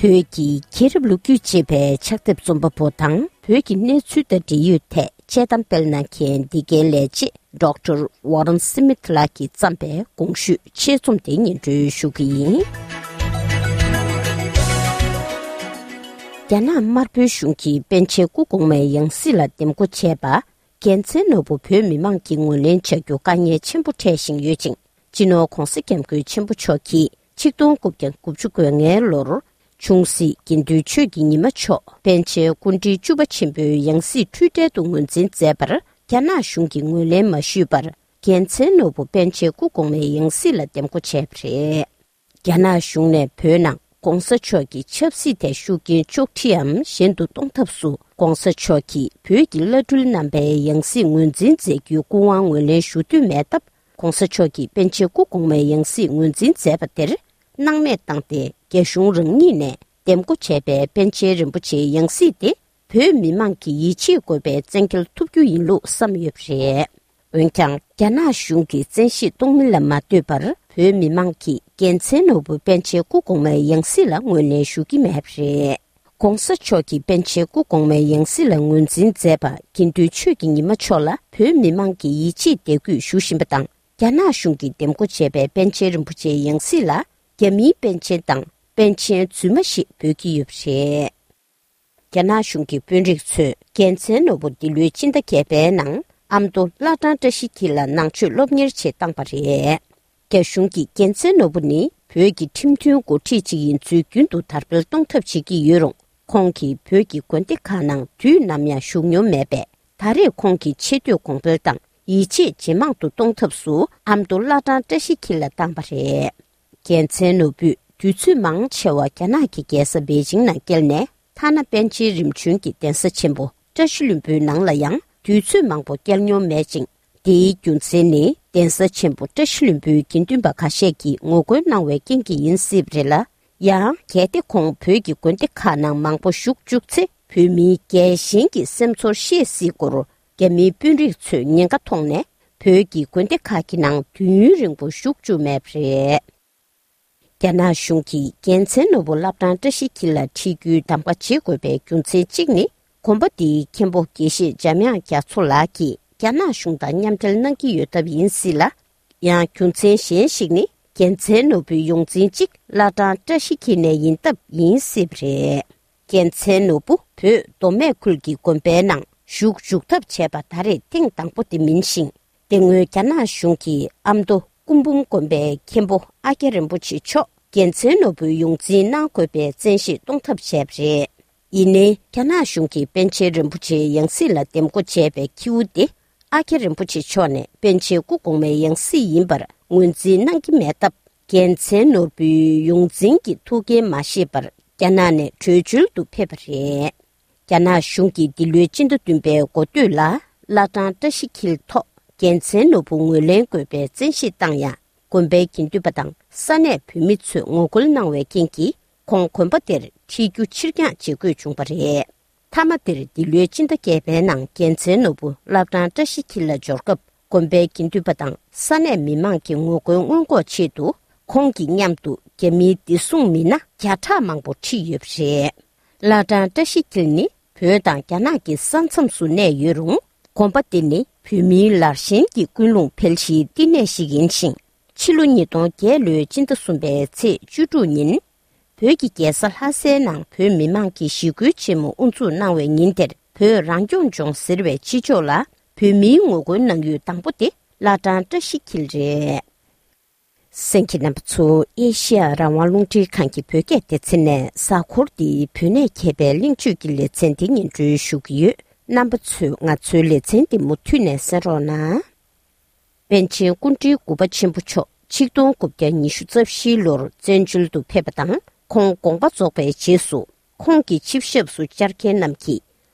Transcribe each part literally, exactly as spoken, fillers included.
བོད་ཀྱི་མཁྱེན་རབ་ལོ་རྒྱུས་ཅེས་པའི་ཕྱག་དེབ་རྩོམ་པ་པོ་དང་བོད་ཀྱི་གནས་ཚུལ་དང་འབྲེལ་ཡོད་ཐད་དཔྱད་གཏམ་སྤེལ་གནང་མཁན་འདི་གའི་ལས་བྱེད་ཌོག་ཊར་ཝོ་རན་སི་མིཐ་ལགས་ཀྱིས་བརྩམས་པའི་གོང་ཞུས་ཆེད་རྩོམ་དེ་སྙན་སྒྲོན་ཞུ་གི་ཡིན། རྒྱ་ནག་དམར་པོའི་གཞུང་གིས་པཎ་ཆེན་སྐུ་གོང་མའི་ཡང་སྲིད་ལ་འདེམས་བསྐོ་བྱས་པ། རྒྱལ་མཚན་ནོར་བུ་བོད་མི་མང་གིས་ངོས་ལེན་བྱ་རྒྱུ་དཀའ་ངལ་ཆེན་པོ་འཕྲད་བཞིན་ཡོད་ཅིང་། སྤྱི་ནོར་༧གོང་ས་༧སྐྱབས་མགོན་ཆེན་པོ་མཆོག་གིས་ཆིག་སྟོང་དགུ་བརྒྱ་དགུ་བཅུ་གོ་ལྔའི་ལོར་ཆུང་སྲིད་དགེ་འདུན་ཆོས་ཀྱི་ཉི་མ་མཆོག་པཎ་ཆེན་སྐུ་ཕྲེང་བཅུ་པ་ཆེན་པོའི་ཡང་སྲིད་འཁྲུལ་བྲལ་དུ་ངོས་འཛིན་མཛད་པར་རྒྱ་ནག་གཞུང་གིས་ངོས་ལེན་མ་ཞུས་པར། རྒྱལ་མཚན་ནོར་བུ་པཎ་ཆེན་སྐུ་གོང་མའི་ཡང་སྲིད་ལ་འདེམས་བསྐོ་བྱས་པ་རེད། རྒྱ་ནག་གཞུང་ནས་བོད་ནང་༧གོང་ས་མཆོག་གི་ཆབ་སྲིད་ཐད་ཤུགས་རྐྱེན་གཅོག་འཕྲིའམ་གཞན་དུ་གཏོང་ཐབས་སུ་༧གོང་ས་མཆོག་གིས་བོད་ཀྱི་བླ་སྤྲུལ་རྣམ་པའི་ཡང་སྲིད་ངོས་འཛིན་མཛད་རྒྱུའི་སྐུ་དབང་ངོས་ལེན་ཞུ་འདོད་མེད་སྟབས། ༧གོང་ས་མཆོག་གིས་པཎ་ཆེན་སྐུ་གོང་མའི་ཡང་སྲིད་ངོས་འཛིན་མཛད་པ་དེར་སྣང་མེད་བཏང་སྟེ། རྒྱ་གཞུང་རང་ཉིད་ནས་འདེམས་བསྐོ་བྱས་པའི་པཎ་ཆེན་རིན་པོ་ཆེའི་ཡང་སྲིད་དེ། བོད་མི་མང་གི་ཡིད་ཆེས་དགོས་པའི་བཙན་འགེལ་ཐུབ་རྒྱུ་ཡིན་ལུགས་བསམ་ཡོད་པ་རེད། འོན་ཀྱང་། རྒྱ་ནག་གཞུང་གིས་བཙན་ཤེད་གཏོང་མིན་ལ་མ་ལྟོས་པར། བོད་མི་མང་གིས་རྒྱལ་མཚན་ནོར་བུ་པཎ་ཆེན་སྐུ་གོང་མའི་ཡང་སྲིད་ལ་ངོས་ལེན་ཞུ་གི་མེད་པ་རེད། ༧གོང་ས་མཆོག་གིས་པཎ་ཆེན་སྐུ་གོང་མའི་ཡང་སྲིད་ལ་ངོས་འཛིན་མཛད་པ། དགེ་འདུན་ཆོས་ཀྱི་ཉི་མ་མཆོག་ལ་བོད་མི་མང་གིས་ཡིད་ཆེས་དད་གུས་ཞུ་བཞིན་པ་དང་། རྒྱ་ནག་གཞུང་གིས་འདེམས་བསྐོ་བྱས་པའི་པཎ་ཆེན་རིན་པོ་ཆེའི་ཡང་སྲིད་ལ། རྒྱ་མིའི་པཎ་ཆེན་དང་པཎ་ཆེན་རྫུན་མ་ཞེས་འབོད་ཀྱི་ཡོད་པ་རེད། རྒྱ་ནག་གཞུང་གི་དཔོན་རིགས་ཚོས་རྒྱལ་མཚན་ནོར་བུ་འདི་ལོའི་སྤྱི་ཟླ་བརྒྱད་པའི་ནང་ཨ་མདོ་བླ་བྲང་བཀྲ་ཤིས་འཁྱིལ་ལ་ནང་ཆོས་སློབ་གཉེར་ཆེད་བཏང་པ་རེད། རྒྱ་གཞུང་གིས་རྒྱལ་མཚན་ནོར་བུ་ནི་བོད་ཀྱི་ཁྲིམས་མཐུན་འགོ་ཁྲིད་ཅིག་ཡིན་ཚུལ་རྒྱུན་དུ་དར་སྤེལ་གཏོང་ཐབས་བྱེད་ཀྱི་ཡོད་རུང་། ཁོང་གིས་བོད་ཀྱི་དགོན་སྡེ་ཁག་ནང་དུས་ནམ་ཡང་བཞུགས་མྱོང་མེད་པས། ད་རེས་ཁོང་གི་ཆེ་བསྟོད་གོང་འཕེལ་དང་ཡིད་ཆེས་ཇེ་མང་དུ་གཏོང་ཐབས་སུ་ཨ་མདོ་བླ་བྲང་བཀྲ་ཤིས་འཁྱིལ་ལ་བཏང་པ་རེད། རྒྱལ་མཚན་ནོར་བུས་དུས་ཚོད་མང་ཆེ་བ་རྒྱ་ནག་གི་རྒྱལ་ས་པེ་ཅིང་ནང་བསྐྱལ་ནས། ཐ་ན་པཎ་ཆེན་རིམ་བྱོན་གྱི་གདན་ས་ཆེན་པོ་བཀྲ་ཤིས་ལྷུན་པོའི་ནང་ལ་ཡང་དུས་ཚོད་མང་པོ་བསྐྱལ་མྱོང་མེད་ཅིང་། དེའི་རྒྱུ་མཚན་ནི་གདན་ས་ཆེན་པོ་བཀྲ་ཤིས་ལྷུན་པོའི་དགེ་འདུན་པ་ཁ་ཤས་ཀྱིས་ངོ་རྒོལ་གནང་བའི་རྐྱེན་གྱིས་ཡིན་སྲིད་པ་རེད་ལ། ཡང་གལ་ཏེ་ཁོང་བོད་ཀྱི་དགོན་སྡེ་ཁག་ནང་མང་པོ་བཞུགས་བཅུག་ཚེ། བོད་མིའི་རྒྱལ་ཞེན་གྱི་སེམས་ཚོར་བཤད་སྲིད་སྐོར། རྒྱ་མིའི་དཔོན་རིགས་ཚོས་ཉེན་ཁ་མཐོང་ནས། བོད་ཀྱི་དགོན་སྡེ་ཁག་གི་ནང་དུས་ཡུན་རིང་པོ་བཞུགས་བཅུག་མེད་པ་རེད། རྒྱ་ནག་གཞུང་གིས་རྒྱལ་མཚན་ནོར་བུ་བླ་བྲང་བཀྲ་ཤིས་འཁྱིལ་ལ་ཁྲིད་རྒྱུའི་གདམ་ག་བྱེད་དགོས་པའི་རྒྱུ་མཚན་གཅིག་ནི། དགོན་པ་འདིའི་མཁན་པོ་དགེ་བཤེས་འཇམ་དབྱངས་རྒྱ་མཚོ་ལགས་ཀྱིས་རྒྱ་ནག་གཞུང་དང་མཉམ་འབྲེལ་གནང་གི་ཡོད་སྟབས་ཡིན་སྲིད་ལ། ཡང་རྒྱུ་མཚན་གཞན་ཞིག་ནི། རྒྱལ་མཚན་ནོར་བུའི་ཡོངས་འཛིན་གཅིག་བླ་བྲང་བཀྲ་ཤིས་འཁྱིལ་ནས་ཡིན་སྟབས་ཡིན་སྲིད་པ་རེད། རྒྱལ་མཚན་ནོར་བུ་བོད་མདོ་སྨད་ཁུལ་གྱི་དགོན་པའི་ནང་བཞུགས་འཇུག་ཐབས་བྱས་པ་ད་རེས་ཐེངས་དང་པོ་དེ་མིན་ཞིང་། དེ་སྔོན་རྒྱ་ནག་གཞུང་གིས་ཨ་མདོ་སྐུ་འབུམ་དགོན་པའི་མཁན་པོ་ཨ་ཀྱ་རིན་པོ་ཆེ་མཆོག་རྒྱལ་མཚན་ནོར་བུའི་ཡོངས་འཛིན་གནང་དགོས་པའི་བཙན་ཤེད་གཏོང་ཐབས་བྱས་པ་རེད། ཡིན་ནའི། རྒྱ་ནག་གཞུང་གིས་པཎ་ཆེན་རིན་པོ་ཆེའི་ཡང་སྲིད་ལ་འདེམས་བསྐོ་བྱས་པའི་ཁྱེའུ་དེ། ཨ་ཀྱ་རིན་པོ་ཆེ་མཆོག་ནས་པཎ་ཆེན་སྐུ་གོང་མའི་ཡང་སྲིད་ཡིན་པར་ངོས་འཛིན་གནང་གི་མེད་སྟབས། རྒྱལ་མཚན་ནོར་བུའི་ཡོངས་འཛིན་གྱི་ཐུགས་འགན་མ་བཞེས་པར། རྒྱ་ནག་ནས་བྲོས་བྱོལ་དུ་ཕེབས་པ་རེད། རྒྱ་ནག་གཞུང་གིས་འདི་ལོའི་སྤྱི་ཟླ་བདུན་པའི་འགོ་སྟོད་ལ། བླ་བྲང་བཀྲ་ཤིས་འཁྱིལ་ཐོག་རྒྱལ་མཚན་ནོར་བུ་ངོས་ལེན་དགོས་པའི་བཙན་ཤེད་བཏང་ཡང་། དགོན་པའི་དགེ་འདུན་པ་དང་ས་གནས་བོད་མི་ཚོས་ངོ་རྒོལ་གནང་བའི་རྐྱེན་གྱིས། ཁོང་དགོན་པ་དེར་ཁྲིད་རྒྱུ་ཕྱིར་འགྱངས་བྱེད་དགོས་བྱུང་པ་རེད། མཐའ་མ་དེར་འདི་ལོའི་སྤྱི་ཟླ་བརྒྱད་པའི་ནང་རྒྱལ་མཚན་ནོར་བུ་བླ་བྲང་བཀྲ་ཤིས་འཁྱིལ་ལ་འབྱོར་སྐབས། དགོན་པའི་དགེ་འདུན་པ་དང་ས་གནས་མི་མང་གི་ངོ་རྒོལ་སྔོན་འགོག་ཆེད་དུ། ཁོང་གི་མཉམ་དུ་རྒྱ་མིའི་བདེ་སྲུང་མི་སྣ་བརྒྱ་ཕྲག་མང་པོ་ཁྲིད་ཡོད་པ་རེད། བླ་བྲང་བཀྲ་ཤིས་འཁྱིལ་ནི་བོད་དང་རྒྱ་ནག་གི་ས་མཚམས་སུ་གནས་ཡོད་རུང་། དགོན་པ་འདི་ནི་བོད་མིའི་ལར་ཞེན་གྱི་ཀུན་སློང་འཕེལ་གཞིའི་བསྟི་གནས་ཤིག་ཡིན་ཞིང་། ཕྱི་ལོ་ཉིས་སྟོང་བརྒྱད་ལོའི་སྤྱི་ཟླ་གསུམ་པའི་ཚེས་བཅུ་དྲུག་ཉིན། བོད་ཀྱི་རྒྱལ་ས་ལྷ་སའི་ནང་བོད་མི་མང་གིས་ཞི་རྒོལ་ཆེན་མོ་དབུ་འཛུགས་གནང་བའི་ཉིན་དེར། བོད་རང་སྐྱོང་ལྗོངས་ཟེར་བའི་ཕྱི་ཕྱོགས་ལ་བོད་མིའི་ངོ་རྒོལ་གནང་ཡུལ་དང་པོ་དེ་བླ་བྲང་བཀྲ་ཤིས་འཁྱིལ་རེད། གསན་མཁན་རྣམ་པ་ཚོ། ཨེ་ཤེ་ཡ་རང་དབང་རླུང་འཕྲིན་ཁང་གི་བོད་སྐད་སྡེ་ཚན་ནས་གཟའ་འཁོར་འདིའི་བོད་གནས་མཁས་པའི་གླེང་བརྗོད་ཀྱི་ལེ་ཚན་འདི་སྙན་སྒྲོན་ཞུ་གི་ཡོད། རྣམ་པ་ཚོས་ང་ཚོའི་ལེ་ཚན་འདི་མུ་མཐུད་ནས་གསན་རོགས་གནང་། པཎ་ཆེན་སྐུ་ཕྲེང་དགུ་པ་ཆེན་པོ་མཆོག་ཆིག་སྟོང་དགུ་བརྒྱ་ཉི་ཤུ་རྩ་བཞིའི་ལོར་བཙན་བྱོལ་དུ་ཕེབས་པ་དང་། ཁོང་དགོངས་པ་རྫོགས་པའི་རྗེས་སུ། ཁོང་གི་ཆིབས་ཞབས་སུ་བཅར་མཁན་རྣམས་ཀྱིས།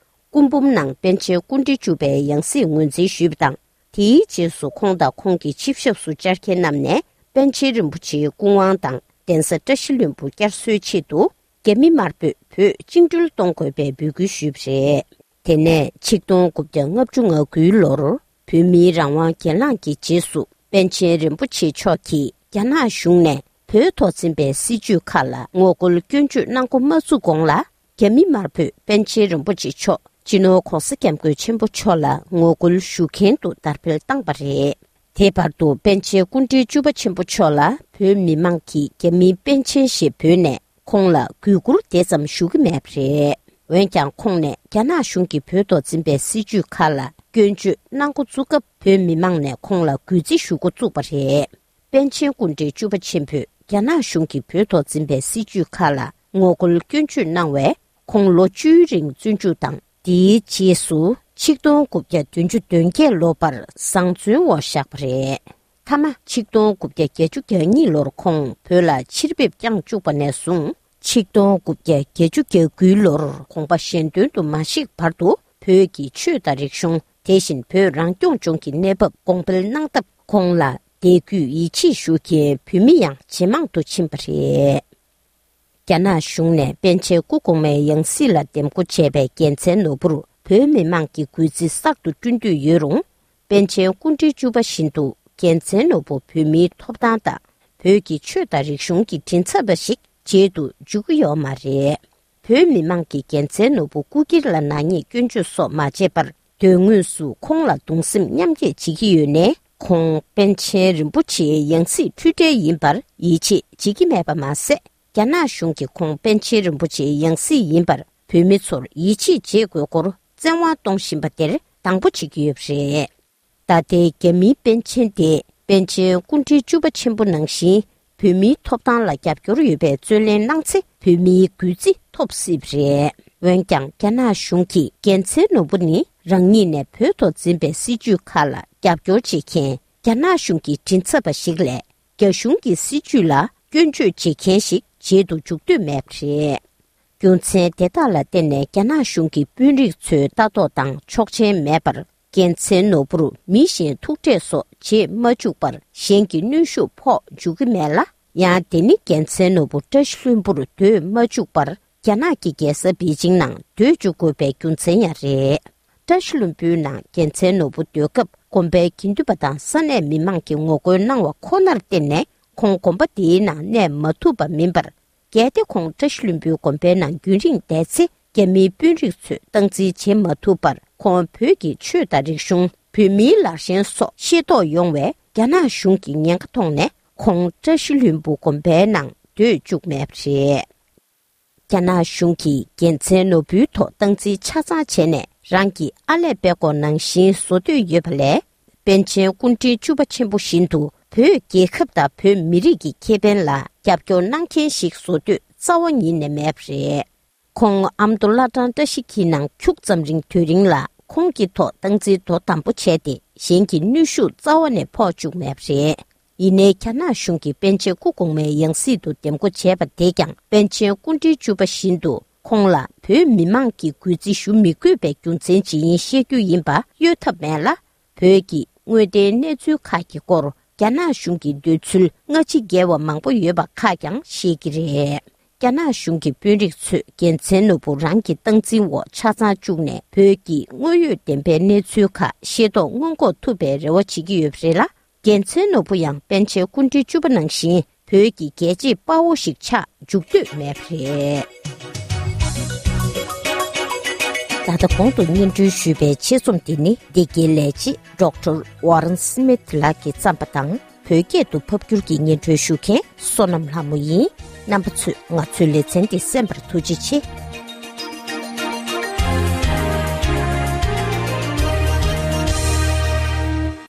སྐུ་འབུམ་ནང་པཎ་ཆེན་སྐུ་ཕྲེང་བཅུ་པའི་ཡང་སྲིད་ངོས་འཛིན་ཞུས་པ་དང་། དེའི་རྗེས་སུ་ཁོང་དང་ཁོང་གི་ཆིབས་ཞབས་སུ་བཅར་མཁན་རྣམས་ནས་པཎ་ཆེན་རིན་པོ་ཆེའི་སྐུ་དབང་དང་གདན་ས་བཀྲ་ཤིས་ལྷུན་པོ་བསྐྱར་གསོའི་ཆེད་དུ། རྒྱ་མི་དམར་པོས་བོད་བཅིངས་འགྲོལ་གཏོང་དགོས་པའི་འབོད་སྐུལ་ཞུས་པ་རེད། དེ་ནས་ཆིག་སྟོང་དགུ་བརྒྱ་ལྔ་བཅུ་ང་དགུའི་ལོར་བོད་མིའི་རང་དབང་སྒེར་ལངས་ཀྱི་རྗེས་སུ། པཎ་ཆེན་རིན་པོ་ཆེ་མཆོག་གིས་རྒྱ་ནག་གཞུང་ནས་ བོད་ཐོག་འཛིན་པའི་སྲིད་བྱུས་ཁག་ལ་ངོ་རྒོལ་སྐྱོན་བརྗོད་གནང་འགོ་མ་བཙུགས་གོང་ལ། རྒྱ་མི་དམར་པོས་པཎ་ཆེན་རིན་པོ་ཆེ་མཆོག་སྤྱི་ནོར་༧གོང་ས་༧སྐྱབས་མགོན་ཆེན་པོ་མཆོག་ལ་ངོ་རྒོལ་ཞུ་མཁན་དུ་དར་འཕེལ་བཏང་པ་རེད། དེ་བར་དུ་པཎ་ཆེན་སྐུ་ཕྲེང་བཅུ་པ་ཆེན་པོ་མཆོག་ལ་བོད་མི་མང་གིས་རྒྱ་མིའི་པཎ་ཆེན་ཞེས་འབོད་ནས་ཁོང་ལ་གུས་བཀུར་དེ་ཙམ་ཞུ་གི་མེད་པ་རེད། འོན་ཀྱང་ཁོང་ནས་རྒྱ་ནག་གཞུང་གིས་བོད་ཐོག་འཛིན་པའི་སྲིད་བྱུས་ཁག་ལ་སྐྱོན་བརྗོད་གནང་འགོ་བཙུགས་སྐབས་བོད་མི་མང་ནས་ཁོང་ལ་གུས་བརྩི་ཞུ་འགོ་བཙུགས་པ་རེད། པཎ་ཆེན་སྐུ་ཕྲེང་བཅུ་པ་ཆེན་པོས་རྒྱ་ནག་གཞུང་གིས་བོད་ཐོག་འཛིན་པའི་སྲིད་བྱུས་ཁག་ལ་ངོ་རྒོལ་སྐྱོན་བརྗོད་གནང་བས། ཁོང་ལོ་བཅུའི་རིང་བཙོན་འཇུག་དང་། དེའི་རྗེས་སུ་ཆིག་སྟོང་དགུ་བརྒྱ་བདུན་ཅུ་དོན་བརྒྱད་ལོ་བར་བཟང་བཙོན་འོག་བཞག་པ་རེད། མཐའ་མ་ཆིག་སྟོང་དགུ་བརྒྱ་བརྒྱད་ཅུ་གྱ་གཉིས་ལོར་ཁོང་བོད་ལ་ཕྱིར་ཕེབས་བསྐྱངས་བཅུག་པ་ནས་བཟུང་། ཆིག་སྟོང་དགུ་བརྒྱ་བརྒྱད་ཅུ་གྱ་དགུའི་ལོར་དགོངས་པ་གཞན་དོན་དུ་མ་གཤེགས་བར་དུ་བོད་ཀྱི་ཆོས་དང་རིག་གཞུང་། དེ་བཞིན་བོད་རང་སྐྱོང་ལྗོངས་ཀྱི་གནས་བབ་གོང་འཕེལ་གནང་སྟབས། ཁོང་ལ་དད་གུས་ཡིད་ཆེས་ཞུ་མཁན་བོད་མི་ཡང་ཇེ་མང་དུ་ཕྱིན་པ་རེད། རྒྱ་ནག་གཞུང་ནས་པཎ་ཆེན་སྐུ་གོང་མའི་ཡང་སྲིད་ལ་འདེམས་བསྐོ་བྱས་པའི་རྒྱལ་མཚན་ནོར་བུར་བོད་མི་མང་གིས་གུས་བརྩི་གསར་དུ་བསྐྲུན་འདོད་ཡོད་རུང་། པཎ་ཆེན་སྐུ་ཕྲེང་བཅུ་པ་བཞིན་དུ་རྒྱལ་མཚན་ནོར་བུ་བོད་མིའི་ཐོབ་ཐང་དང་བོད་ཀྱི་ཆོས་དང་རིག་གཞུང་གི་མགྲིན་ཚབ་པ་ཞིག་བྱེད་དུ་འཇུག་གི་ཡོད་མ་རེད། བོད་མི་མང་གིས་རྒྱལ་མཚན་ནོར་བུ་སྐུ་སྒེར་ལ་ནག་ཉེས་སྐྱོན་བརྗོད་སོགས་མ་བྱས་པར། དོན་དངོས་སུ་ཁོང་ལ་གདུང་སེམས་མཉམ་སྐྱེད་བྱེད་ཀྱི་ཡོད་ནའི། ཁོང་པཎ་ཆེན་རིན་པོ་ཆེའི་ཡང་སྲིད་འཁྲུལ་བྲལ་ཡིན་པར་ཡིད་ཆེས་བྱེད་ཀྱི་མེད་པ་མ་ཟད། རྒྱ་ནག་གཞུང་གིས་ཁོང་པཎ་ཆེན་རིན་པོ་ཆེའི་ཡང་སྲིད་ཡིན་པར་བོད་མི་ཚོར་ཡིད་ཆེས་བྱེད་དགོས་སྐོར་བཙན་དབང་གཏོང་བཞིན་པ་དེར་སྡང་པོ་བྱེད་ཀྱི་ཡོད་པ་རེད། ད་ལྟའི་རྒྱ་མིའི་པཎ་ཆེན་དེས་པཎ་ཆེན་སྐུ་ཕྲེང་བཅུ་པ་ཆེན་པོ་ནང་བཞིན་བོད་མིའི་ཐོབ་ཐང་ལ་རྒྱབ་སྐྱོར་ཡོད་པའི་རྩོད་ལེན་གནང་ཚེ་བོད་མིའི་གུས་བརྩི་ཐོབ་སྲིད་པ་རེད། འོན་ཀྱང་རྒྱ་ནག་གཞུང་གིས་རྒྱལ་མཚན་ནོར་བུ་ནི་རང་ཉིད་ནས་བོད་ཐོག་འཛིན་པའི་སྲིད་བྱུས་ཁག་ལ་རྒྱབ་སྐྱོར་བྱེད་མཁན་རྒྱ་ནག་གཞུང་གི་མགྲིན་ཚབ་པ་ཞིག་ལས། རྒྱ་གཞུང་གི་སྲིད་བྱུས་ལ་སྐྱོན་བརྗོད་བྱེད་མཁན་ཞིག་བྱེད་དུ་འཇུག་འདོད་མེད་པ་རེད། རྒྱུ་མཚན་དེ་དག་ལ་བརྟེན་ནས་རྒྱ་ནག་གཞུང་གི་དཔོན་རིགས་ཚོའི་ལྟ་རྟོག་དང་ཆོག་མཆན་མེད་པར། རྒྱལ་མཚན་ནོར་བུར་མི་གཞན་ཐུག་འཕྲད་སོགས་བྱེད་མ་བཅུག་པར། གཞན་གྱི་གནོན་ཤུགས་ཕོག་འཇུག་གི་མེད་ལ། ཡང་དེ་ནི་རྒྱལ་མཚན་ནོར་བུ་བཀྲ་ཤིས་ལྷུན་པོར་སྡོད་མ་བཅུག་པར། རྒྱ་ནག་གི་རྒྱལ་ས་པེ་ཅིང་ནང་སྡོད་བཅུག་དགོས་པའི་རྒྱུ་མཚན་ཡང་རེད། བཀྲ་ཤིས་ལྷུན་པོའི་ནང་རྒྱལ་མཚན་ནོར་བུ་སྡོད་སྐབས། དགོན་པའི་དགེ་འདུན་པ་དང་ས་གནས་མི་མང་གིས་ངོ་རྒོལ་གནང་བ་ཁོ་ནར་བརྟེན་ནས། ཁོང་དགོན་པ་དེའི་ནང་གནས་མ་ཐུབ་པ་མིན་པར། གལ་ཏེ་ཁོང་བཀྲ་ཤིས་ལྷུན་པོའི་དགོན་པའི་ནང་རྒྱུན་རིང་བསྡད་ཚེ། རྒྱ་མིའི་དཔོན་རིགས་ཚོས་སྟངས་འཛིན་བྱེད་མ་ཐུབ་པར། ཁོང་བོད་ཀྱི་ཆོས་དང་རིག་གཞུང་། བོད་མིའི་ལར་ཞེན་སོགས་ཤེས་རྟོགས་ཡོང་བས། རྒྱ་ནག་གཞུང་གིས་ཉེན་ཁ་མཐོང་ནས། ཁོང་བཀྲ་ཤིས་ལྷུན་པོ་དགོན་པའི་ནང་སྡོད་བཅུག་མེད་པ་རེད། རྒྱ་ནག་གཞུང་གིས་རྒྱལ་མཚན་ནོར་བུའི་ཐོག་སྟངས་འཛིན་ཆ་ཚང་བྱས་ནས། རང་གི་ཨ་ལས་པད་ཀོ་ནང་བཞིན་བཟོ་འདོད་ཡོད་པ་ལས། པཎ་ཆེན་སྐུ་ཕྲེང་བཅུ་པ་ཆེན་པོ་བཞིན་དུ་བོད་རྒྱལ་ཁབ་དང་བོད་མི་རིགས་ཀྱི་ཁེ་ཕན་ལ་རྒྱབ་སྐྱོར་གནང་མཁན་ཞིག་བཟོ་འདོད་རྩ་བ་ཉིད་ནས་མེད་པ་རེད། ཁོང་ཨ་མདོ་བླ་བྲང་བཀྲ་ཤིས་འཁྱིལ་ནང་ཁྱུག་ཙམ་རིང་དུས་རིང་ལ་ཁོང་གི་ཐོག་སྟངས་འཛིན་དོ་དམ་པོ་བྱས་ཏེ། གཞན་གྱི་གནོན་ཤུགས་རྩ་བ་ནས་ཕོག་བཅུག་མེད་པ་རེད། ཡིན་ནའི་རྒྱ་ནག་གཞུང་གིས་པཎ་ཆེན་སྐུ་གོང་མའི་ཡང་སྲིད་དུ་འདེམས་བསྐོ་བྱས་པ་དེས་ཀྱང་། པཎ་ཆེན་སྐུ་ཕྲེང་བཅུ་པ་བཞིན་དུ་ཁོང་ལ་བོད་མི་མང་གིས་གུས་བརྩི་ཞུ་མི་དགོས་པའི་རྒྱུ་མཚན་ཇི་ཡིན་བཤད་རྒྱུ་ཡིན་པ་གཡོལ་ཐབས་མེད་ལ། བོད་ཀྱི་དངོས་བདེན་གནས་ཚུལ་ཁག་གི་སྐོར་རྒྱ་ནག་གཞུང་གི་འདོད་ཚུལ་སྔ་ཕྱི་འགལ་བ་མང་པོ་ཡོད་པ་ཁག་ཀྱང་བཤད་ཀྱི་རེད། རྒྱ་ནག་གཞུང་གི་དཔོན་རིགས་ཚོས་རྒྱལ་མཚན་ནོར་བུ་རང་གི་སྟངས་འཛིན་འོག་ཆ་ཚང་བཅུག་ནས། བོད་ཀྱི་དངོས་ཡོད་བདེན་པའི་གནས་ཚུལ་ཁག་ཤེས་རྟོགས་སྔོན་འགོག་ཐུབ་པའི་རེ་བ་བྱེད་ཀྱི་ཡོད་པ་རེད་ལ། རྒྱལ་མཚན་ནོར་བུ་ཡང་པཎ་ཆེན་སྐུ་ཕྲེང་བཅུ་པ་ནང་བཞིན་བོད་ཀྱི་རྒྱལ་གཅེས་དཔའ་བོ་ཞིག་ཆགས་འཇུག་འདོད་མེད་པ་རེད། ད་ལྟ་གོང་དུ་སྙན་སྒྲོན་ཞུས་པའི་ཆེད་རྩོམ་འདི་ནི་འདི་གའི་ལས་བྱེད་ཌོག་ཊར་ཝ་རན་སྨིཐ་ལགས་ཀྱིས་བརྩམས་པ་དང་། བོད་སྐད་དུ་ཕབ་བསྒྱུར་གྱིས་སྙན་སྒྲོན་ཞུ་མཁན་བསོད་ནམས་ལྷ་མོ་ཡིན། རྣམ་པ་ཚོས་ང་ཚོའི་ལེ་ཚན་འདི་གསན་པར་ཐུགས་རྗེ་ཆེ།